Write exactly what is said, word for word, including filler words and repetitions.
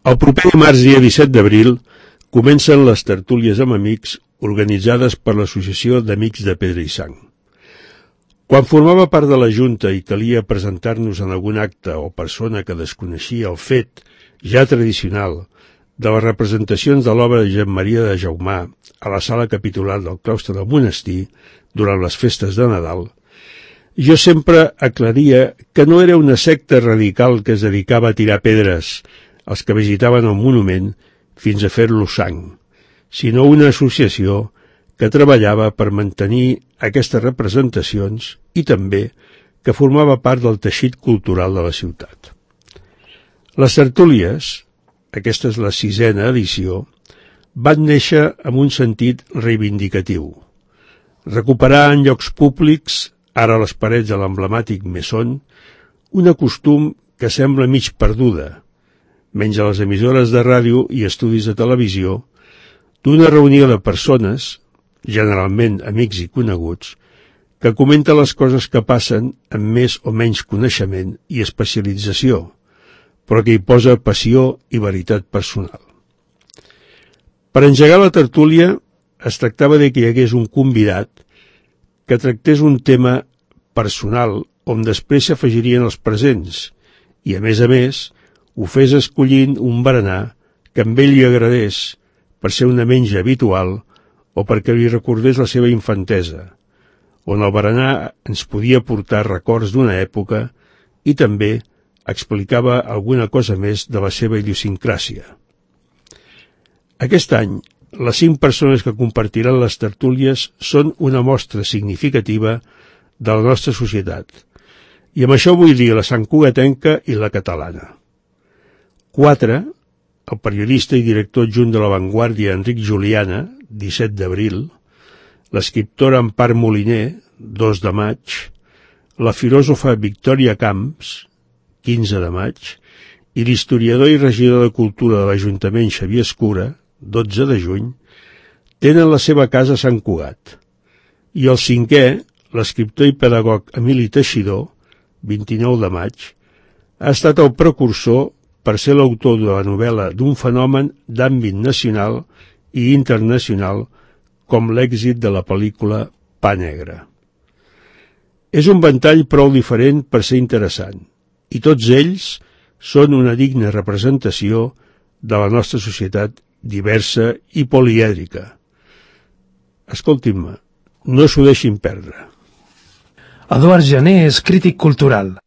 El proper dimarts, dia disset d'abril, comencen les tertúlies amb amics organitzades per l'Associació d'Amics de Pedra i Sang. Quan formava part de la Junta i calia presentar-nos en algun acte o persona que desconeixia el fet, ja tradicional, de les representacions de l'obra de Josep Maria de Jaumà a la sala capitular del claustre del monestir durant les festes de Nadal, jo sempre aclaria que no era una secta radical que es dedicava a tirar pedres als que visitaven el monument fins a fer-lo sang, sinó una associació que treballava per mantenir aquestes representacions i també que formava part del teixit cultural de la ciutat. Les tertúlies, aquesta és la sisena edició, van néixer amb un sentit reivindicatiu. Recuperar en llocs públics, ara a les parets de l'emblemàtic Mesón, un costum que sembla mig perduda, menys a les emissores de ràdio i estudis de televisió, d'una reunió de persones, generalment amics i coneguts, que comenta les coses que passen amb més o menys coneixement i especialització, però que hi posa passió i veritat personal. Per engegar la tertúlia es tractava de que hi hagués un convidat que tractés un tema personal on després s'afegirien els presents i, a més a més, ho fes escollint un berenar que amb ell li agradés per ser una menja habitual o perquè li recordés la seva infantesa, on el berenar ens podia portar records d'una època i també explicava alguna cosa més de la seva idiosincràsia. Aquest any, les cinc persones que compartiran les tertúlies són una mostra significativa de la nostra societat, i amb això vull dir la santcugatenca i la catalana. Quatre, el periodista i director adjunt de La Vanguardia Enric Juliana, disset d'abril, l'escriptora Empar Moliner, dos de maig, la filòsofa Victòria Camps, quinze de maig, i l'historiador i regidor de Cultura de l'Ajuntament Xavier Escura, dotze de juny, tenen la seva casa a Sant Cugat. I el cinquè, l'escriptor i pedagog Emili Teixidor, vint-i-nou de maig, ha estat el precursor per ser l'autor de la novel·la d'un fenomen d'àmbit nacional i internacional com l'èxit de la pel·lícula Pa Negre. És un ventall prou diferent per ser interessant, i tots ells són una digna representació de la nostra societat diversa i polièdrica. Escoltin-me, no s'ho deixin perdre. Eduard Jané és crític cultural.